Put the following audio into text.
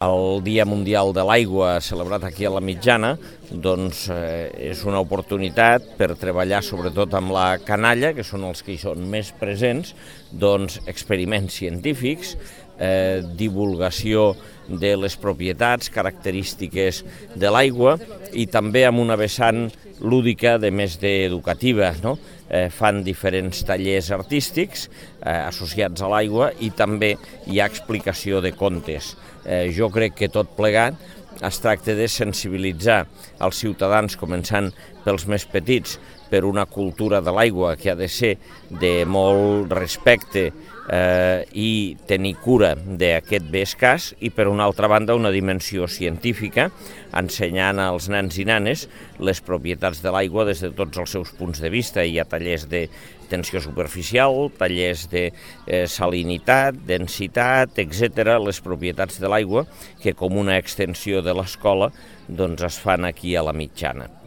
El Dia Mundial de l'Aigua, celebrat aquí a la Mitjana, doncs, és una oportunitat per treballar sobretot amb la canalla, que són els que hi són més presents, doncs, experiments científics, divulgació de les propietats, característiques de l'aigua i també amb una vessant lúdica de més d'educativa, no? Fan diferents tallers artístics associats a l'aigua i també hi ha explicació de contes. Jo crec que tot plegat es tracta de sensibilitzar els ciutadans, començant pels més petits, per una cultura de l'aigua que ha de ser de molt respecte i tenir cura d'aquest bé escàs, i per una altra banda una dimensió científica, ensenyant als nens i nenes les propietats de l'aigua des de tots els seus punts de vista. Hi ha tallers de tensió superficial, tallers de salinitat, densitat, etc., les propietats de l'aigua que com una extensió de l'escola doncs es fan aquí a la Mitjana.